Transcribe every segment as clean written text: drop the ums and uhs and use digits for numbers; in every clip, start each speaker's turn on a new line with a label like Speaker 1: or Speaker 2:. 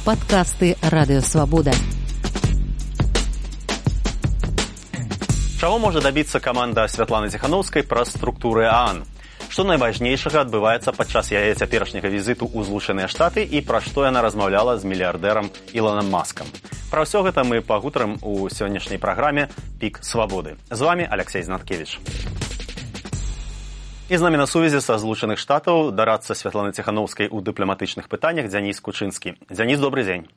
Speaker 1: Падкасты Радыёвабода.
Speaker 2: Чаго можа дабіцца каманда Святланы Ціханаўскай праз структуры ААН? Што найважнейшага адбываецца падчас яе цяперашняга візіту ў Злучаныя Штаты і пра што яна размаўляла з мільярдэрам Ілонам Маскам? Пра ўсё гэта мы пагутарым у сённяшняй праграме «Пік свабоды». З вами Алексей Знаткевич. І з намі на сувязі са Злучаных Штатаў дарадца Святланы Ціханаўскай у дыпламатычных пытаннях Дзяніс Кучынскі. Дзяніс, добрый дзень.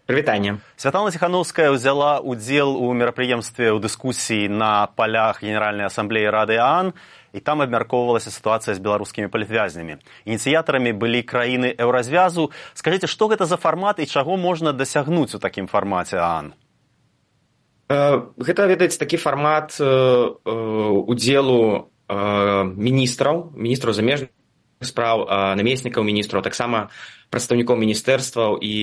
Speaker 3: Прывітанне.
Speaker 2: Святлана Ціханаўская ўзяла ўдзел у мерапрыемстве ў дыскусіі на палях Генеральнай асамблеі Рады ААН, і там абмяркоўвалася сітуацыя з беларускімі палітвязнямі. Ініцыятарамі былі краіны еўразвязу. Скажыце, што гэта за фармат і чаго можна дасягнуць у такім фармаце ААН?
Speaker 3: Гэта, ведаеце, такі фармат удзелу міністраў замежных спраў, намеснікаў міністраў, таксама прадстаўнікоў міністэрстваў і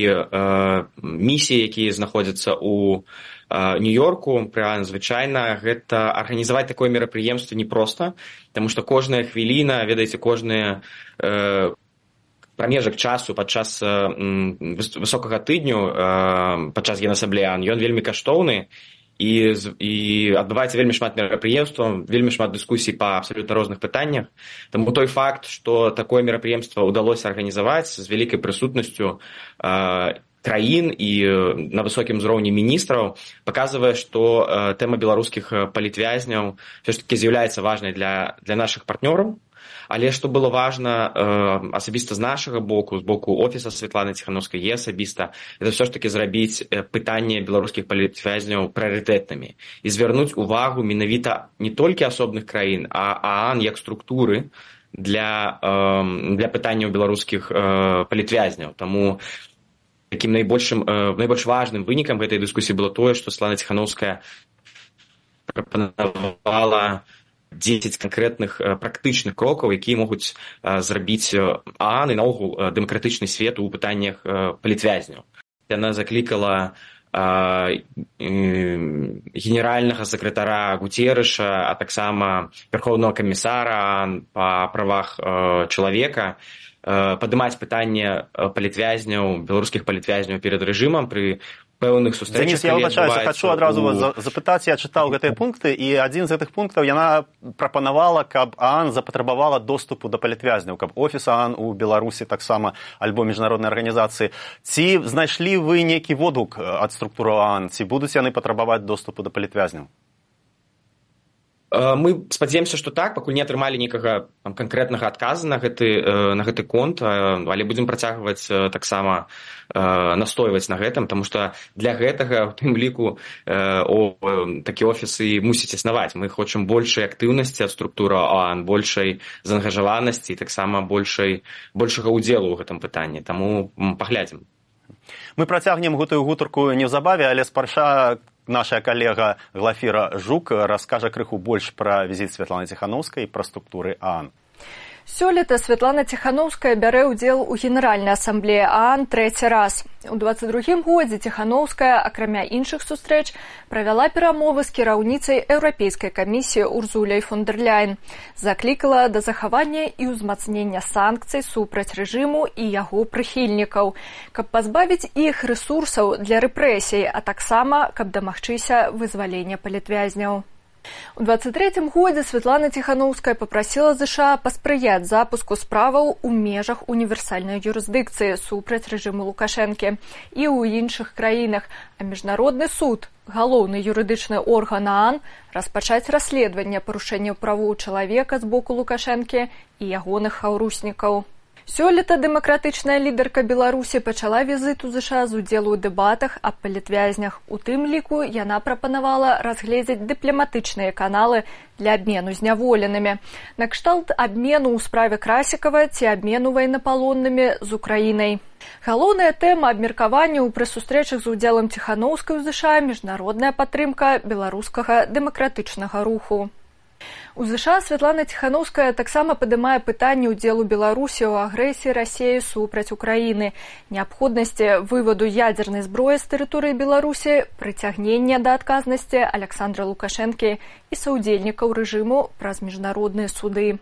Speaker 3: місій, якія знаходзяцца ў Нью-Йорку. Звычайна гэта арганізаваць такое мерапрыемства непроста, таму што кожная хвіліна, ведаеце, кожны прамежак часу падчас высокага тыдню, падчас Генасамблеі ААН, ён вельмі каштоўны. І адбываецца вельмі шмат мерапрыемстваў, вельмі шмат дыскусій па абсалютна розных пытаннях. Таму той факт, што такое мерапрыемства ўдалося арганізаваць з вялікай прысутнасцю краін і на высокім узроўні міністраў, паказвае, што тэма беларускіх палітвязняў ўсё ж такі з'яўляецца важнай для нашых партнёраў. Але што было важна асабіста з нашага боку, з боку офіса Святланы Ціханаўскай і асабіста, это ўсё ж такі зрабіць пытанне беларускіх палітвязняў прыярытэтнымі і звярнуць увагу менавіта не толькі асобных краін, а ААН як структуры для пытанняў беларускіх палітвязняў. Таму такім найбольш важным вынікам гэтай дыскусіі было тое, што Святлана Ціханаўская прапанавала 10 канкрэтных практычных крокаў, якія могуць зрабіць ААН і наогул дэмакратычны свет у пытаннях палітвязняў. Яна заклікала генеральнага сакратара Гуцерыша, а таксама верхоўнага камісара ААН па правах чалавека падымаць пытанне палітвязняў, беларускіх палітвязняў перад рэжымам пры пэўных сустрэчах.
Speaker 2: Дзяніс, я выбачаюся, хачу адразу вас запытаць, я чытаў гэтыя пункты, і адзін з гэтых пунктаў яна прапанавала, каб ААН запатрабавала доступу да палітвязняў, каб офіс ААН у Беларусі таксама, альбо міжнароднай арганізацыі. Ці знайшлі вы нейкі водгук ад структуры ААН, ці будуць яны патрабаваць доступу да палітвязняў?
Speaker 3: Мы спадзяемся, што так, пакуль не атрымалі нейкага канкрэтнага адказа на гэты конт, але будзем працягваць таксама настойваць на гэтым, таму што для гэтага, у тым ліку, такі офісы мусіць існаваць. Мы хочам большай актыўнасці ад структуры ААН, большай заангажаванасці і таксама большага ўдзелу ў гэтым пытанні. Таму паглядзім.
Speaker 2: Мы працягнем гэтую гутарку неўзабаве, але спярша наша калега Глафіра Жук раскажа крыху больш пра візіт Святланы Ціханаўскай і пра структуры ААН.
Speaker 4: Сёлета Святлана Ціханаўская бярэ ўдзел у Генеральнай асамблеі ААН трэці раз. У 22-м годзе Ціханаўская, акрамя іншых сустрэч, правяла перамовы з кіраўніцай Еўрапейскай камісіі Урзуляй фон дэр Ляйен. Заклікала да захавання і ўзмацнення санкцый супраць рэжыму і яго прыхільнікаў, каб пазбавіць іх рэсурсаў для рэпрэсій, а таксама, каб дамагчыся вызвалення палітвязняў. У 23-м годзе Святлана Ціханаўская папрасіла ЗША паспрыяць запуску справаў у межах універсальнай юрысдыкцыі супраць рэжыму Лукашэнкі і ў іншых краінах, а міжнародны суд, галоўны юрыдычны орган ААН, распачаць расследаванне парушэнняў правоў чалавека з боку Лукашэнкі і ягоных хаўруснікаў. Сёлета дэмакратычная лідарка Беларусі пачала візіт у ЗША з удзелу ў дэбатах аб палітвязнях. У тым ліку яна прапанавала разгледзець дыпламатычныя каналы для абмену зняволенымі. Накшталт абмену ў справе Красікава ці абмену ваеннапалоннымі з Украінай. Галоўная тэма абмеркаванняў пры сустрэчах з удзелам Ціханаўскай у ЗША міжнародная падтрымка беларускага дэмакратычнага руху. У ЗША Святлана Ціханаўская таксама падымае пытанне ўдзелу Беларусі ў агрэсіі Расіі супраць Украіны, неабходнасці вываду ядзернай зброі з тэрыторыі Беларусі, прыцягнення да адказнасці Аляксандра Лукашэнкі і саўдзельнікаў рэжыму праз міжнародныя суды.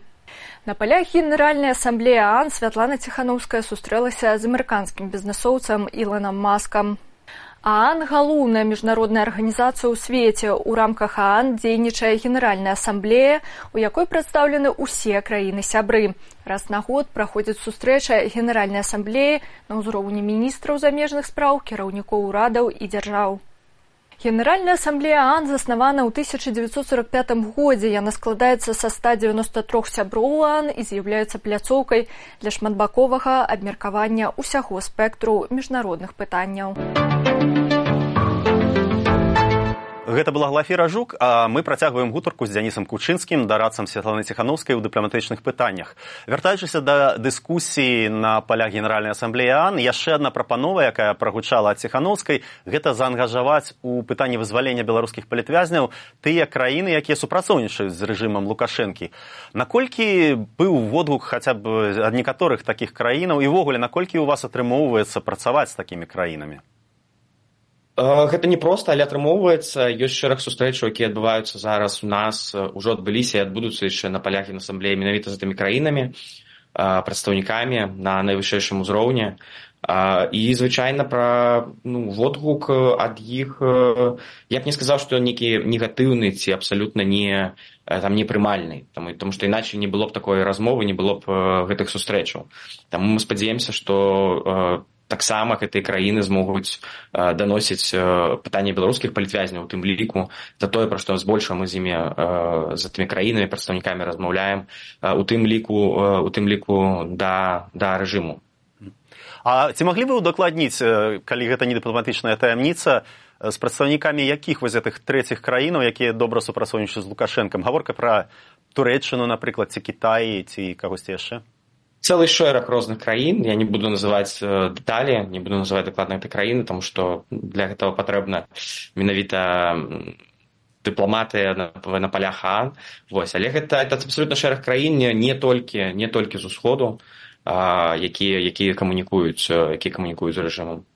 Speaker 4: На палях Генеральнай асамблеі ААН Святлана Ціханаўская сустрэлася з амерыканскім бізнэсоўцам Іланам Маскам. ААН – галоўная міжнародная арганізацыя ў свеце. У рамках ААН дзейнічае Генеральная асамблея, у якой прадстаўлены ўсе краіны-сябры. Раз на год праходзіць сустрэча Генеральнай асамблеі на ўзроўні міністраў замежных спраў, кіраўнікоў урадаў і дзяржаў. Генеральная асамблея ААН заснавана ў 1945 годзе. Яна складаецца са 193 сяброў ААН і з'яўляецца пляцоўкай для шматбаковага абмеркавання ўсяго спектру міжнародных пытанняў.
Speaker 2: Гэта была Глафіра Жук, а мы працягваем гутарку з Дзянісам Кучынскім, дарадцам Святланы Ціханаўскай ў дыпламатычных пытаннях. Вяртаючыся да дыскусіі на палях Генеральнай асамблеі ААН, яшчэ адна прапанова, якая прагучала ад Ціханаўскай, гэта заангажаваць у пытанні вызвалення беларускіх палітвязняў тыя краіны, якія супрацоўнічаюць з рэжымам Лукашэнкі. Наколькі быў водгук хаця б ад некаторых такіх краінаў, і ўвогуле, наколькі у вас атрымоўваецца працаваць з такімі краінамі?
Speaker 3: Гэта не проста, але атрымоўваецца. Ёсць шэраг сустрэчаў, якія адбываюцца зараз у нас, ужо адбыліся і адбудуцца яшчэ на палях Генасамблеі менавіта з тымі краінамі, прадстаўнікамі на найвышэйшым узроўні. І, звычайна, пра водгук ад іх, я б не сказаў, што нейкі негатыўны ці абсалютна непрымальны, таму што іначай не было б такой размовы, не было б гэтых сустрэчаў. Таму мы спадзяемся, што таксама гэтыя краіны змогуць даносіць пытанні беларускіх палітвязняў, у тым ліку за тое, пра што збольшага мы з імі, з тымі краінамі, прадстаўнікамі размаўляем, у тым ліку да рэжыму.
Speaker 2: А ці маглі вы удакладніць, калі гэта не дыпламатычная таямніца, з прадстаўнікамі якіх вось гэтых трэціх краінаў, якія добра супрацоўнічаюць з Лукашэнкам? Гаворка пра Турэччыну, напрыклад, ці Кітай, ці кагосьці яшчэ?
Speaker 3: Цэлы шэраг розных краін, я не буду называць дэталі, не буду называць дакладна гэтай краіны, таму што для гэтага патрэбна менавіта дыпламатыя на палях ААН. Але гэта абсалютна шэраг краін, не толькі з усходу, якія камунікуюць з рэжымам.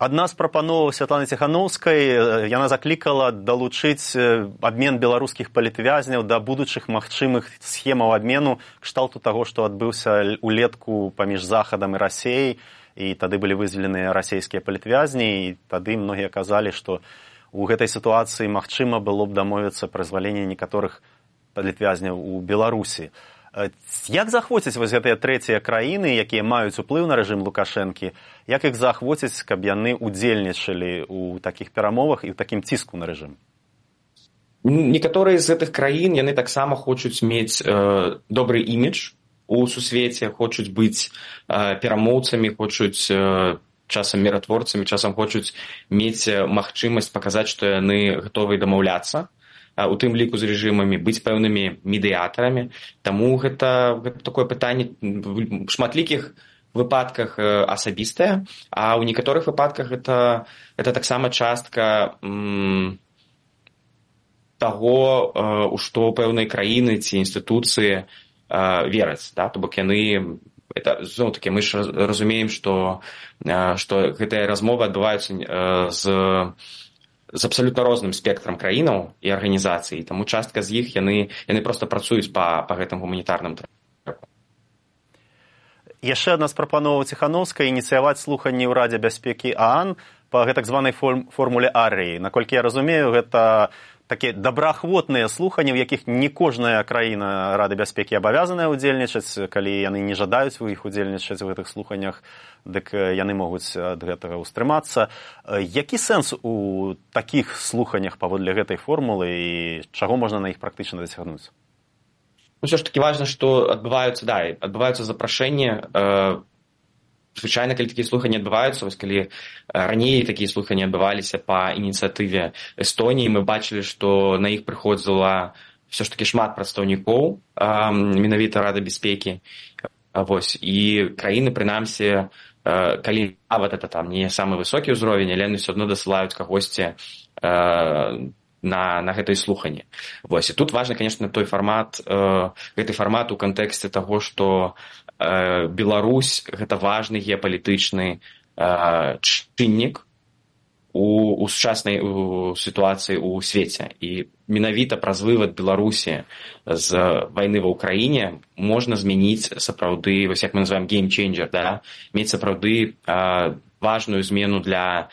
Speaker 2: Адна з прапановаў Святланы Ціханаўскай, яна заклікала далучыць абмен беларускіх палітвязняў да будучых магчымых схемаў абмену кшталту таго, што адбыўся улетку паміж Захадам і Расеяй, і тады былі вызваленыя расейскія палітвязні, і тады многія казалі, што у гэтай сітуацыі магчыма было б дамовіцца пра зваленне некаторых палітвязняў у Беларусі. Як заахвоціць вось гэтыя трэція краіны, якія маюць уплыў на рэжым Лукашэнкі, як іх заахвоціць, каб яны удзельнічалі ў такіх перамовах і ў такім ціску на рэжым?
Speaker 3: Некаторыя з гэтых краін, яны таксама хочуць мець добры імідж у сусвеце, хочуць быць перамоўцамі, хочуць часам міратворцамі, часам хочуць мець магчымасць паказаць, што яны гатовы дамаўляцца, у тым ліку з рэжымамі, быць пэўнымі медыятарамі. Таму гэта такое пытанне в шматлікіх выпадках асабістае, а ў некаторых выпадках гэта таксама частка таго, у што пэўныя краіны ці інстытуцыі вераць. То бок яны, зноў-такі, мы ж разумеем, што гэтыя размовы адбываюцца з абсалютна розным спектрам краінаў і арганізацый, таму частка з іх яны проста працуюць па гэтым гуманітарным трэку.
Speaker 2: Яшчэ адна з прапановаў Ціханаўскай ініцыяваць слуханні ў Радзе бяспекі ААН па гэтак званай формуле Арыі. Наколькі я разумею, гэта такія добраахвотныя слуханні, у якіх не кожная краіна Рады бяспекі абавязаная ўдзельнічаць. Калі яны не жадаюць у іх удзельнічаць у гэтых слуханнях, дык яны могуць ад гэтага ўстрымацца. Які сэнс у такіх слуханнях паводле гэтай формулы і чаго можна на іх практычна дасягнуць?
Speaker 3: Усё ж такі важна, што адбываюцца запрашэнні. Звычайна, калі такія слуханні адбываюцца, вось калі раней такія слуханні адбываліся па ініцыятыве Эстоніі, мы бачылі, што на іх прыходзіла ўсё ж такі шмат прадстаўнікоў менавіта Рады бяспекі. І краіны, прынамсі, калі нават гэта там не самы высокі ўзровень, але яны ўсё адно дасылаюць кагосьці на гэтай слуханні. І тут важны, конечно, той фармат, гэты фармат у кантэксце таго, што Беларусь гэта важны геапалітычны чыннік у сучаснай сітуацыі ў свеце. І менавіта праз вывад Беларусі з вайны ва ўкраіне можна змяніць сапраўды, вось як мы называем геймчейнджер, да? Мець сапраўды важную змену для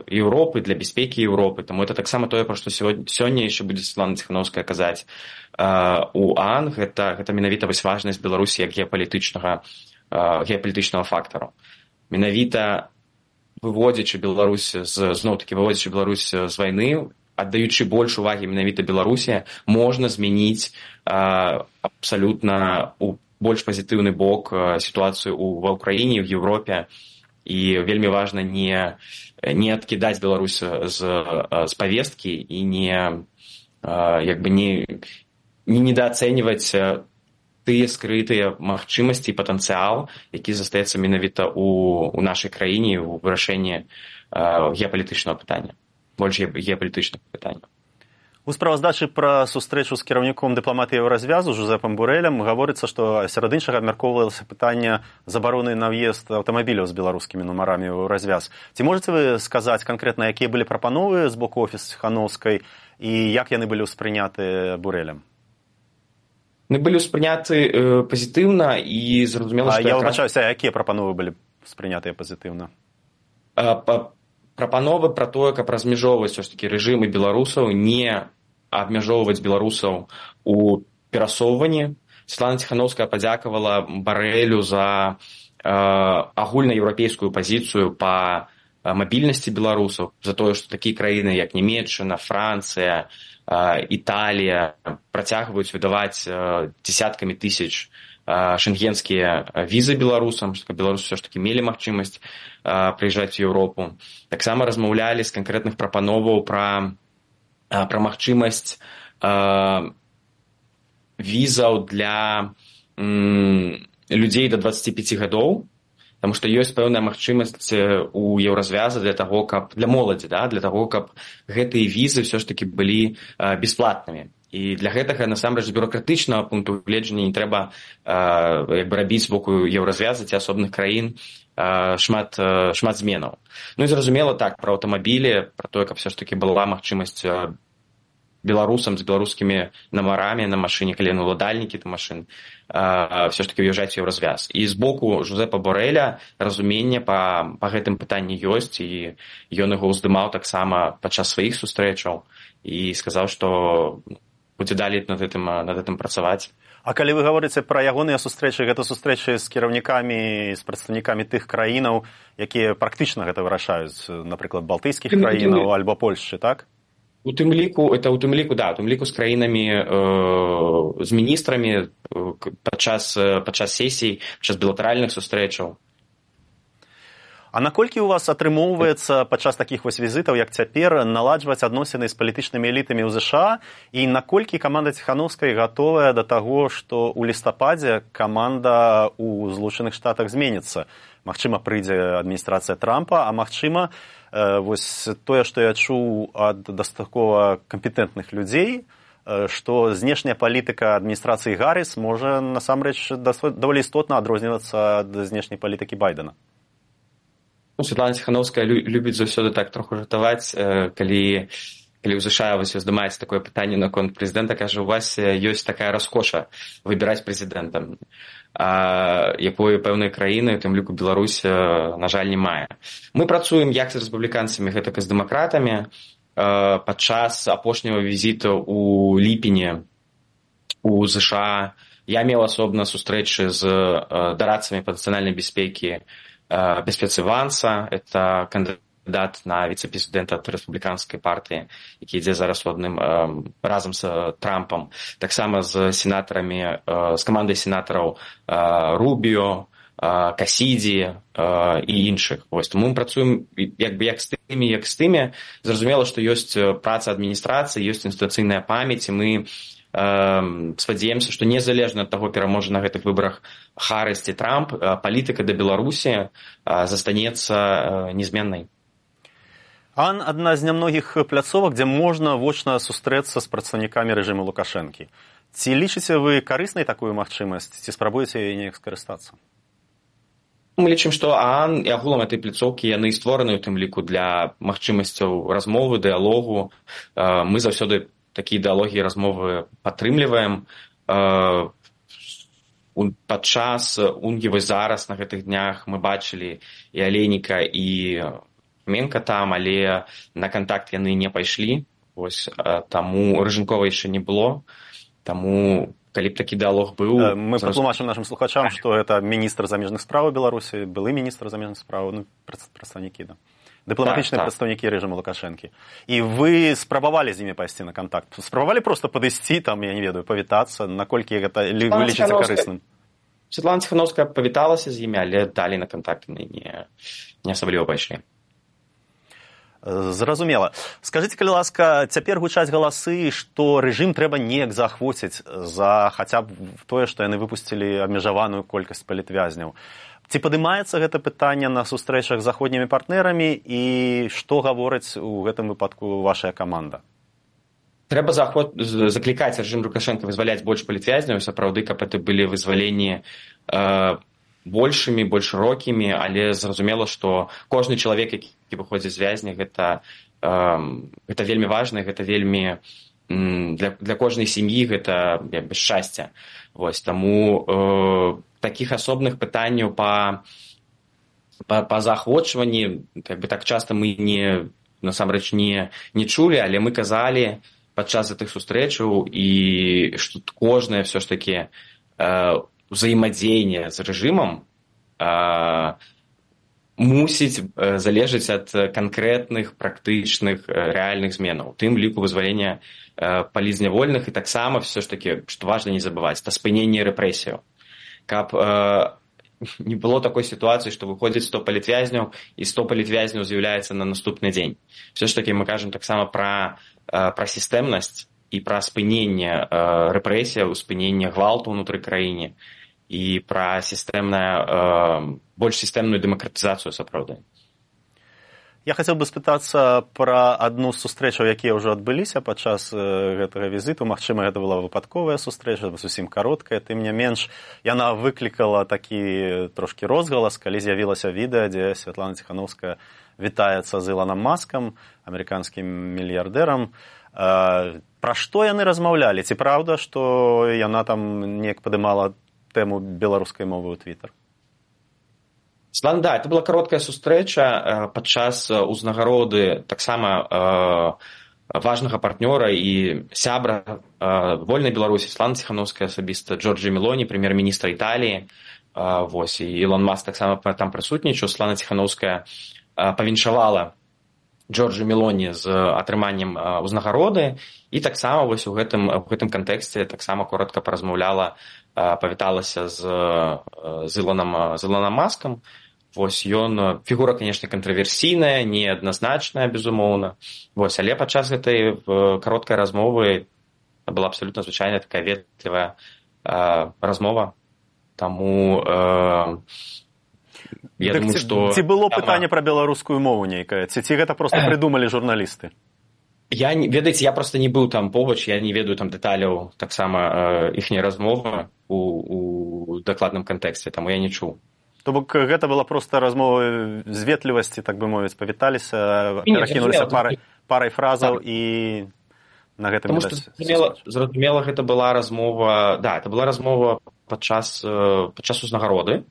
Speaker 3: Еўропы, для бяспекі Еўропы. Таму это таксама тое, пра што сёння яшчэ будзе Святлана Ціханаўская казаць у ААН, гэта менавіта вось важнасць Беларусі як геапалітычнага фактару. Менавіта выводзячы Беларусь выводзячы Беларусь з вайны, аддаючы больш увагі менавіта Беларусі, можна змяніць абсалютна у больш пазітыўны бок сітуацыю ва ўкраіне, в Еўропе. І вельмі важна не адкідаць Беларусь з павесткі і не недаацэньваць тыя скрытыя магчымасці і патэнцыял, які застаецца менавіта у нашай краіне ў вырашэнні геапалітычнага пытання, больш геапалітычных пытанняў.
Speaker 2: У справаздачы пра сустрэчу з кіраўніком дыпламатыі Еўразвязу Жозэпам Борэлем гаворыцца, што сярод іншага абмяркоўвалася пытанне забароны на ўезд аўтамабіляў з беларускімі нумарамі ў Еўразвяз. Ці можаце вы сказаць канкрэтна, якія былі прапановы з боку офісу Ціханаўскай і як яны былі ўспрыняты Борэлем?
Speaker 3: Яны былі ўспрыняты пазітыўна і зразумела, што...
Speaker 2: Я выбачаюся, якія прапановы былі ўспрынятыя пазітыўна?
Speaker 3: Прапановы пра тое, каб размяжоўваць ўсё ж такі рэжымы беларусаў, не абмяжоўваць беларусаў у перасоўванні. Святлана Ціханаўская падзякавала Барэлю за агульнаеўрапейскую пазіцыю па мабільнасці беларусаў, за тое, што такія краіны, як Нямецчына, Францыя, Італія працягваюць выдаваць дзесяткамі тысяч шенгенскія візы беларусам, што беларусы ўсё ж такі мелі магчымасць прыязджаць у Еўропу. Таксама размаўлялі з канкрэтных прапановаў пра магчымасць візаў для людзей да 25 гадоў, таму што ёсць пэўная магчымасць у Еўразвяза для моладзі, для таго, каб гэтыя візы ўсё ж такі былі бясплатнымі. І для гэтага, насамрэч, з бюрократычнага пункту гледжання не трэба рабіць з боку Еўразвяза ці асобных краін шмат зменаў. Ну і зразумела так, пра аўтамабілі, пра тое, каб ўсё ж такі была магчымасць беларусам з беларускімі нумарамі на машыне, калі яны ўладальнікі да машын, ўсё ж такі ўязджаць у Еўразвяз. І з боку Жозэпа Борэля разуменне па гэтым пытанні ёсць, і ён яго ўздымаў таксама падчас сваіх сустрэчаў і сказаў, што будзе далей над гэтым працаваць.
Speaker 2: А калі вы гаворыце пра ягоныя сустрэчы, гэта сустрэчы з кіраўнікамі, з прадстаўнікамі тых краінаў, якія практычна гэта вырашаюць, напрыклад, балтыйскіх краінаў альбо Польшчы, так?
Speaker 3: У тым ліку з краінамі, з міністрамі падчас сесій, падчас білатэральных сустрэчаў.
Speaker 2: А наколькі ў вас атрымоўваецца падчас такіх вось візітаў, як цяпер, наладжваць адносіны з палітычнымі элітамі ў ЗША, і наколькі каманда Ціханаўскай гатовая да таго, што ў лістападзе каманда ў Злучаных Штатах зменіцца? Магчыма, прыйдзе адміністрацыя Трампа, а магчыма, вось тое, што я чуў ад дастаткова кампетэнтных людзей, што знешняя палітыка адміністрацыі Гарріс можа насамрэч даволі істотна адрознівацца ад знешняй палітыкі Байдена.
Speaker 3: Святлана Ціханаўская любіць заўсёды так троху жартаваць, калі ў ЗША уздымаецца такое пытанне наконт прэзідэнта, кажа, у вас ёсць такая раскоша выбіраць прэзідэнтам, якую пэўныя краіны, у тым ліку Беларусь, на жаль, не мае. Мы працуем як з рэспубліканцамі, гэтак і з дэмакратамі. Падчас апошняга візіта ў ліпені у ЗША я меў асобна сустрэчы з дарадцамі па нацыянальнай бяспекі бяспецы Ванса, это кандидат на віцэ-прэзідэнта ад рэспубліканскай партыі, які ідзе зараз разам з Трампам, таксама з сенатарамі, з камандай сенатараў Рубіо, Касідзі і іншых. Тому мы працуем як з тымі. Зразумела, што ёсць праца адміністрацыі, ёсць інстытуцыйная памяць, і мы спадзяемся, што незалежна ад таго, пераможа на гэтых выбарах Харріс ці Трамп, палітыка да Беларусі застанецца незменнай.
Speaker 2: ААН – адна з нямногіх пляцовак, дзе можна вочна сустрэцца з прадстаўнікамі рэжыму Лукашэнкі. Ці лічыце вы карыснай такую магчымасць, ці спрабуеце яе неяк скарыстацца?
Speaker 3: Мы лічым, што ААН і агулам этой пляцоўкі яны створаны ў тым ліку для магчымасцяў размовы, дыялогу. Мы заўсёды такія дыялогі і размовы падтрымліваем. Падчас УНГІ вось зараз на гэтых днях мы бачылі і Алейніка, і Менка там, але на кантакт яны не пайшлі. Вось таму Рыжынкова яшчэ не было. Таму калі б такі дыялог быў...
Speaker 2: Мы патлумачым нашим слухачам, што это міністр замежных спраў Беларусі, былы міністр замежных спраў, ну, прадстаўнікі, да. Дыпламатычныя прадстаўнікі рэжыму Лукашэнкі. І вы спрабавалі з імі пайсці на кантакт? Спрабавалі проста падысці, там, я не ведаю, павітацца, наколькі гэта вы лічыце карысным?
Speaker 3: Святлана Ціханаўская павіталася з імі, але далі на кантакт не асабліва пайшлі.
Speaker 2: Зразумела. Скажыце, калі ласка, цяпер гучаць галасы, што рэжым трэба неяк заахвоціць за хаця б тое, што яны выпусцілі абмежаваную колькасць палітвязняў. Ці падымаецца гэта пытанне на сустрэчах з заходнімі партнерамі і што гаворыць у гэтым выпадку вашая каманда?
Speaker 3: Трэба заклікаць рэжым Лукашэнка вызваляць больш палітвязняў, сапраўды, каб это былі вызваленні большымі, больш шырокімі, але зразумела, што кожны чалавек, які выходзіць з вязня, гэта вельмі важна, гэта вельмі для кожнай сям'і гэта шчасце. Вось, таму такіх асобных пытанняў па заахвочванні так часта мы насамрэч не чулі, але мы казалі падчас гэтых сустрэчаў, і што кожнае ўсё ж такі ўзаемадзеянне з рэжымам мусіць залежыць ад канкрэтных практычных рэальных зменаў, у тым ліку вызвалення палітзнявольных, і таксама ўсё ж такі, што важна не забываць, это спыненне рэпрэсіяў. Каб не было такой сітуацыі, што выходзіць 100 палітвязняў і 100 палітвязняў з'яўляецца на наступны дзень. Ўсё ж такі мы кажам таксама пра сістэмнасць і пра спыненне рэпрэсіяў, спыненне гвалту ўнутры краіне і пра больш сістэмную дэмакратызацыю сапраўды.
Speaker 2: Я хацеў бы спытацца пра адну з сустрэчаў, якія ўжо адбыліся падчас гэтага візіту. Магчыма, гэта была выпадковая сустрэча, зусім кароткая. Тым не менш, яна выклікала такі трошкі розгалас, калі з'явілася відэа, дзе Святлана Ціханаўская вітаецца з Ілоном Маскам, амерыканскім мільярдэрам. Пра што яны размаўлялі? Ці праўда, што яна там неяк падымала тэму беларускай мовы ў Твіттер?
Speaker 3: Да, это была кароткая сустрэча падчас узнагароды таксама важнага партнёра і сябра вольнай Беларусі Святланы Ціханаўскай асабіста Джорджа Мелоні, прэм'ер-міністра Італіі. Вось, і Ілон Маск таксама там прысутнічаў. Святлана Ціханаўская павіншавала Джорджа Мелоні з атрыманнем узнагароды, і таксама вось у гэтым кантэксце таксама коротка паразмаўляла, павіталася з Ілоном Маскам. Вось, ён фігура, канешне, кантраверсійная, неадназначная, безумоўна. Вось, але падчас гэтай кароткай размовы была абсалютна звычайная такая ветлівая размова. Таму я думаю, што...
Speaker 2: Ці было пытанне пра беларускую мову нейкае? Ці гэта проста прыдумалі журналісты?
Speaker 3: Ведаеце, я проста не быў там побач, я не ведаю там дэталяў таксама іхняй размовы у дакладным кантэксце, таму я не чуў.
Speaker 2: То бок гэта была проста размова з ветлівасці, так бы мовіць, павіталіся, перакінуліся парай фразаў і на гэтым...
Speaker 3: Таму што зразумела, гэта была размова, это была размова падчас узнагароды,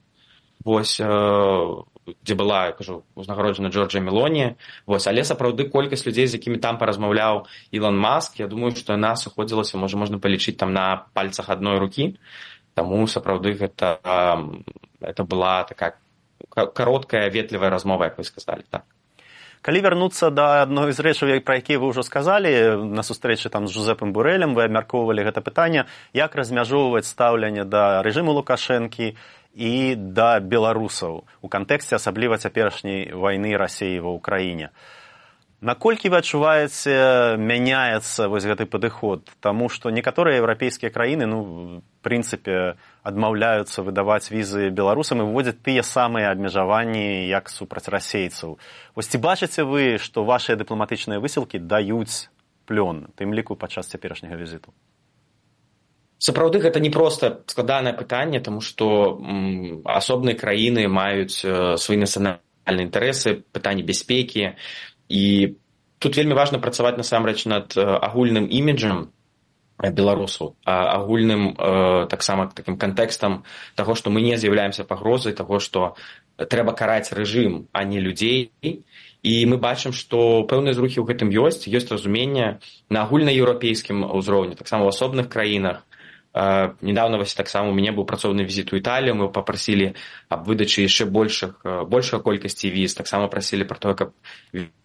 Speaker 3: вось, дзе была, я кажу, узнагароджана Джорджа Мелоні, вось, але сапраўды колькасць людзей, з якімі там паразмаўляў Ілон Маск, я думаю, што яна сыходзілася, можна палічыць там на пальцах адной рукі. Таму сапраўды гэта была такая кароткая, ветлівая размова, як вы сказалі, так.
Speaker 2: Калі вярнуцца да адной з рэчаў, пра якія вы ўжо сказалі, на сустрэчы там з Жозепам Борэлем, вы абмяркоўвалі гэта пытанне, як размяжоўваць стаўленне да рэжыму Лукашэнкі і да беларусаў у кантэксце асабліва цяперашняй вайны Расіі ва ўкраіне. Наколькі вы адчуваеце, мяняецца вось гэты падыход? Таму што некаторыя еўрапейскія краіны, в прынцыпе, адмаўляюцца выдаваць візы беларусам і выводзяць тыя самыя абмежаванні, як супраць расейцаў. Вось ці бачыце вы, што вашыя дыпламатычныя высілкі даюць плён, тым ліку падчас цяперашняга візіту?
Speaker 3: Сапраўды гэта не проста складанае пытанне, таму што асобныя краіны маюць свае нацыянальныя інтарэсы, пытанні бяспекі, і тут вельмі важна працаваць насамрэч над агульным іміджам беларусаў, агульным таксама такім кантэкстам таго, што мы не з'яўляемся пагрозай, таго, што трэба караць рэжым, а не людзей. І мы бачым, што пэўныя зрухі ў гэтым ёсць разуменне на агульнаеўрапейскім узроўні, таксама ў асобных краінах. Недавно таксама у мяне быў працоўны візіт у Італію, мы папрасілі аб выдачы яшчэ большай колькасці віз, таксама прасілі пра тое, каб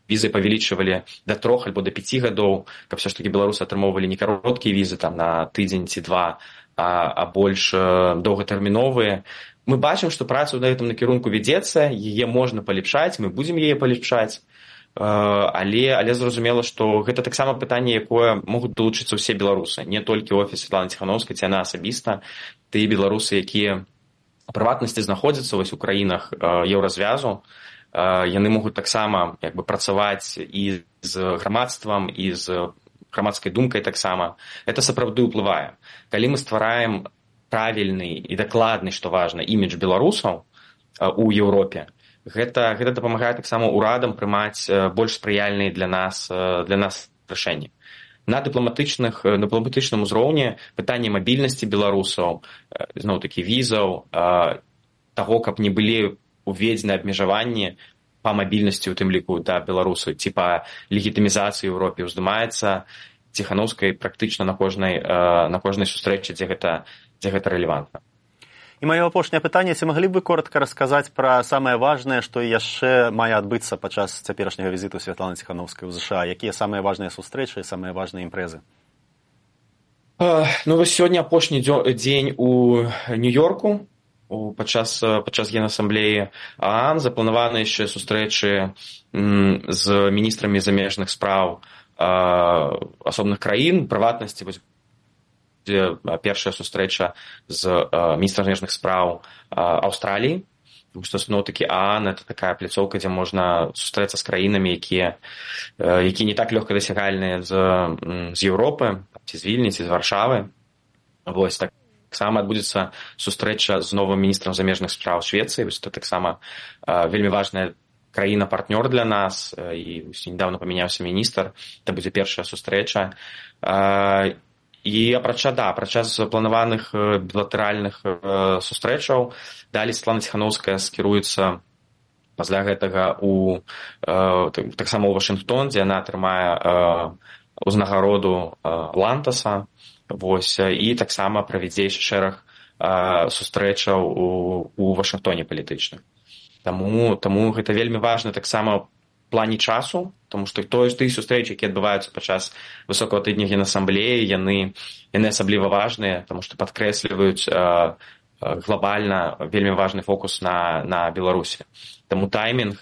Speaker 3: візы павялічвалі да 3 альбо да 5 гадоў, каб все ж таки беларусы атрымоўвалі не кароткія візы там на тыдзень ці два, а больш доўгатэрміновыя. Мы бачым, што праца ў гэтым накірунку вядзецца, яе можна палепшаць, мы будзем яе палепшаць. Але зразумела, што гэта таксама пытанне, якое могуць далучыцца ўсе беларусы, не толькі офіс Святланы Ціханаўскай, ці яна асабіста, тыя беларусы, якія у прыватнасці знаходзяцца вось у краінах еўразвязу, яны могуць таксама працаваць і з грамадствам, і з грамадскай думкай таксама. Гэта сапраўды ўплывае. Калі мы ствараем правільны і дакладны, што важна, імідж беларусаў у Еўропе, гэта дапамагае таксама урадам прымаць больш спрыяльныя для нас рашэнні. На дыпламатычным узроўні пытанне мабільнасці беларусаў, зноў-такі візаў, таго, каб не былі уведзены абмежаванні па мабільнасці, у тым ліку да беларусаў, ці па легітымізацыі ў Еўропе ўздымаецца Ціханаўскай практычна на кожнай сустрэчы, дзе гэта рэлевантна.
Speaker 2: І маё апошняе пытанне, ці маглі б вы коротка расказаць пра самае важнае, што яшчэ мае адбыцца падчас цяперашняга візіту Святланы Ціханаўскай ў ЗША? Якія самыя важныя сустрэчы, самыя важныя імпрэзы?
Speaker 3: Вось сёння апошні дзень у Нью-Йорку падчас Генасамблеі ААН. Запланаваны яшчэ сустрэчы з міністрамі замежных спраў асобных краін, прыватнасці, дзе першая сустрэча з міністрам замежных спраў Аўстраліі, тому што зноў-такі ААН — это такая пляцоўка, дзе можна сустрэцца з краінамі, якія не так лёгка дасягальныя з Еўропы, ці з Вільні, ці з Варшавы. Вось таксама адбудзецца сустрэча з новым міністрам замежных спраў Швецыі. Вось это таксама вельмі важная краіна-партнёр для нас, і недавно памяняўся міністр, это будзе першая сустрэча. І апрача запланаваных білатэральных сустрэчаў, далей Святлана Ціханаўская скіруецца пасля гэтага таксама ў Вашынгтон, дзе яна атрымае ўзнагароду Лантаса, і таксама правядзе шэраг сустрэчаў у Вашынгтоне палітычных. Таму гэта вельмі важна таксама в плане часу, тому што тыя сустрэчы, якія адбываюцца падчас высокага тыдня Генасамблеі, яны асабліва важныя, тому што падкрэсліваюць глобальна вельмі важны фокус на Беларусі. Таму таймінг,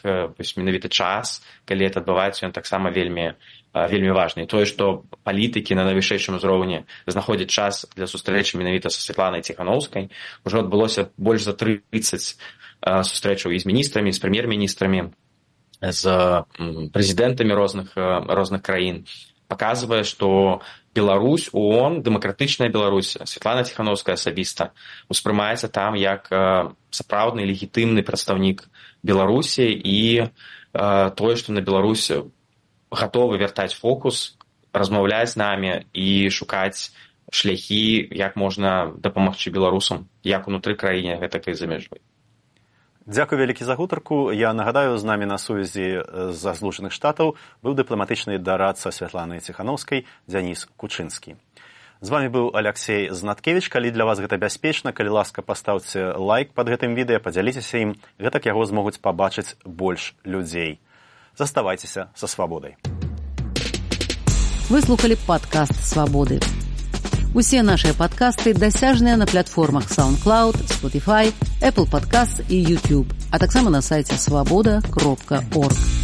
Speaker 3: менавіта час, калі гэта адбываецца, ён таксама вельмі важны. І тое, што палітыкі на найвышэйшым узроўні знаходзяць час для сустрэчы менавіта са Святланай Ціханаўскай, ужо адбылося больш за 30 сустрэчаў і з міністрамі, і з прэм'ер-міністрамі, з прэзідэнтамі розных краін, паказвае, што Беларусь, ООН, дэмакратычная Беларусь, Святлана Ціханаўская асабіста успрымаецца там як сапраўдны легітымны прадстаўнік Беларусі, і тое, што на Беларусь гатовы вяртаць фокус, размаўляць з намі і шукаць шляхі, як можна дапамагчы беларусам, як унутры краіне, гэтак і за мяжой.
Speaker 2: Дзякуй вялікі за гутарку. Я нагадаю, з намі на сувязі з Злучаных Штатаў быў дыпламатычны дарадца Святланы Ціханаўскай Дзяніс Кучынскі. З вами быў Аляксей Знаткевіч. Калі для вас гэта бяспечна, калі ласка, пастаўце лайк пад гэтым відэа, падзяліцеся ім, гэтак яго змогуць пабачыць больш людзей. Заставайцеся са свабодай.
Speaker 1: Вы слухали падкаст «Свабоды». Усе нашыя падкасты дасяжныя на платформах SoundCloud, Spotify, Apple Podcasts і YouTube, а таксама на сайце swaboda.org.